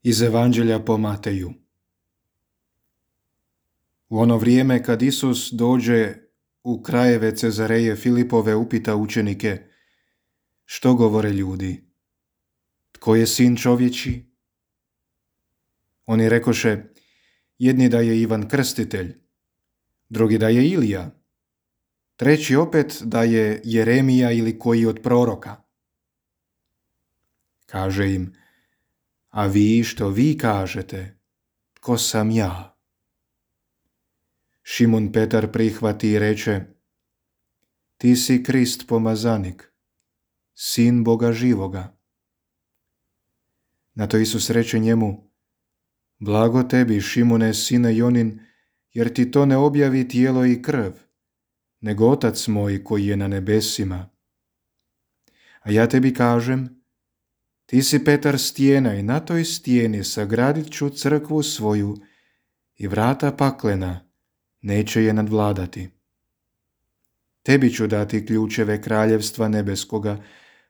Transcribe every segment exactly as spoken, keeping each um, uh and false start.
Iz Evanđelja po Mateju. U ono vrijeme kad Isus dođe u krajeve Cezareje Filipove, upita učenike: što govore ljudi? Tko je sin čovječji? Oni rekoše: jedni da je Ivan Krstitelj, drugi da je Ilija, treći opet da je Jeremija ili koji od proroka. Kaže im: a vi što vi kažete, tko sam ja? Šimun Petar prihvati i reče: ti si Krist pomazanik, sin Boga živoga. Na to Isus reče njemu: blago tebi, Šimune, sine Jonin, jer ti to ne objavi tijelo i krv, nego Otac moj koji je na nebesima. A ja tebi kažem, ti si Petar stijena i na toj stijeni sagradit ću crkvu svoju i vrata paklena neće je nadvladati. Tebi ću dati ključeve kraljevstva nebeskoga,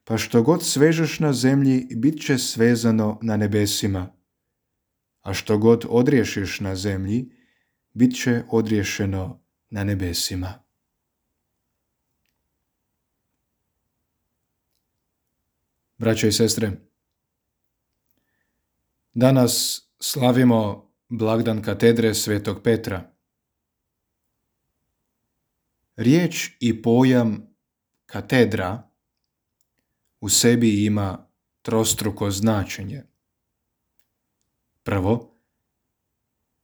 pa što god svežeš na zemlji, bit će svezano na nebesima, a što god odriješiš na zemlji, bit će odriješeno na nebesima. Braćo i sestre, danas slavimo blagdan katedre Svetog Petra. Riječ i pojam katedra u sebi ima trostruko značenje. Prvo,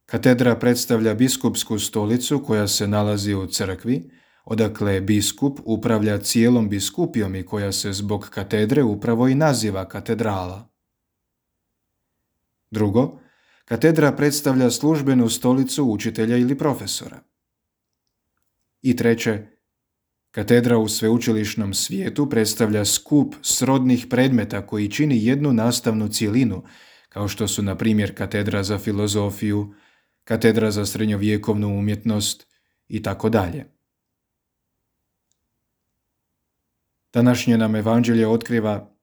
katedra predstavlja biskupsku stolicu koja se nalazi u crkvi, odakle biskup upravlja cijelom biskupijom i koja se zbog katedre upravo i naziva katedrala. Drugo, katedra predstavlja službenu stolicu učitelja ili profesora. I treće, katedra u sveučilišnom svijetu predstavlja skup srodnih predmeta koji čini jednu nastavnu cjelinu, kao što su, na primjer, katedra za filozofiju, katedra za srednjovjekovnu umjetnost i tako dalje. Današnje nam Evanđelje otkriva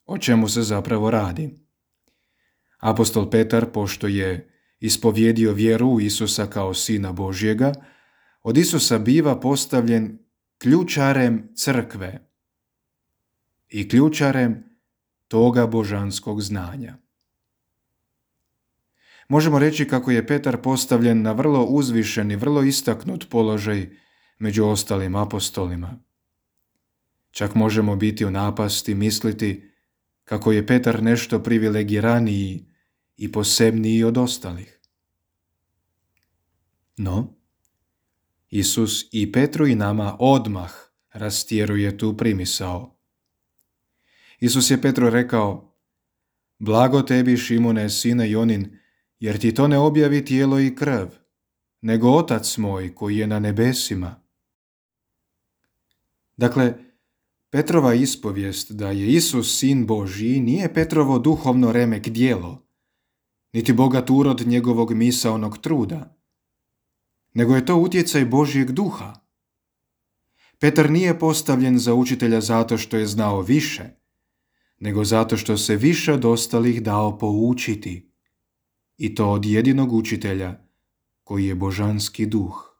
o čemu se zapravo radi. Apostol Petar, pošto je ispovjedio vjeru u Isusa kao Sina Božjega, od Isusa biva postavljen ključarem crkve i ključarem toga božanskog znanja. Možemo reći kako je Petar postavljen na vrlo uzvišen i vrlo istaknut položaj među ostalim apostolima. Čak možemo biti u napasti misliti kako je Petar nešto privilegiraniji i posebniji od ostalih. No, Isus i Petru i nama odmah rastjeruje tu primisao. Isus je Petru rekao: blago tebi, Šimune, sine Jonin, jer ti to ne objavi tijelo i krv, nego Otac moj koji je na nebesima. Dakle, Petrova ispovijest da je Isus sin Božji nije Petrovo duhovno remek djelo, niti bogat urod njegovog misaonog truda, nego je to utjecaj Božjeg duha. Petar nije postavljen za učitelja zato što je znao više, nego zato što se više od ostalih dao poučiti, i to od jedinog učitelja koji je božanski duh.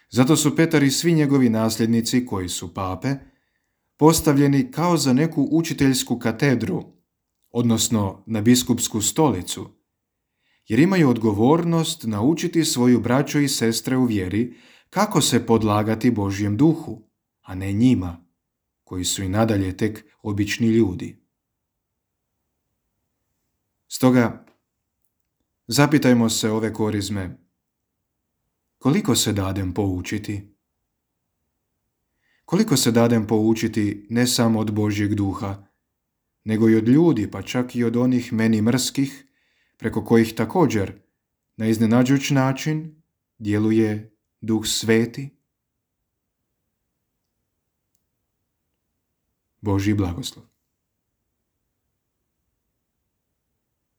Zato su Petar i svi njegovi nasljednici, koji su pape, postavljeni kao za neku učiteljsku katedru, odnosno na biskupsku stolicu, jer imaju odgovornost naučiti svoju braću i sestre u vjeri kako se podlagati Božjem duhu, a ne njima, koji su i nadalje tek obični ljudi. Stoga, zapitajmo se ove korizme: koliko se dadem poučiti? Koliko se dadem poučiti ne samo od Božjeg duha, nego i od ljudi, pa čak i od onih meni mrskih, preko kojih također na iznenađujući način djeluje Duh Sveti? Božji blagoslov.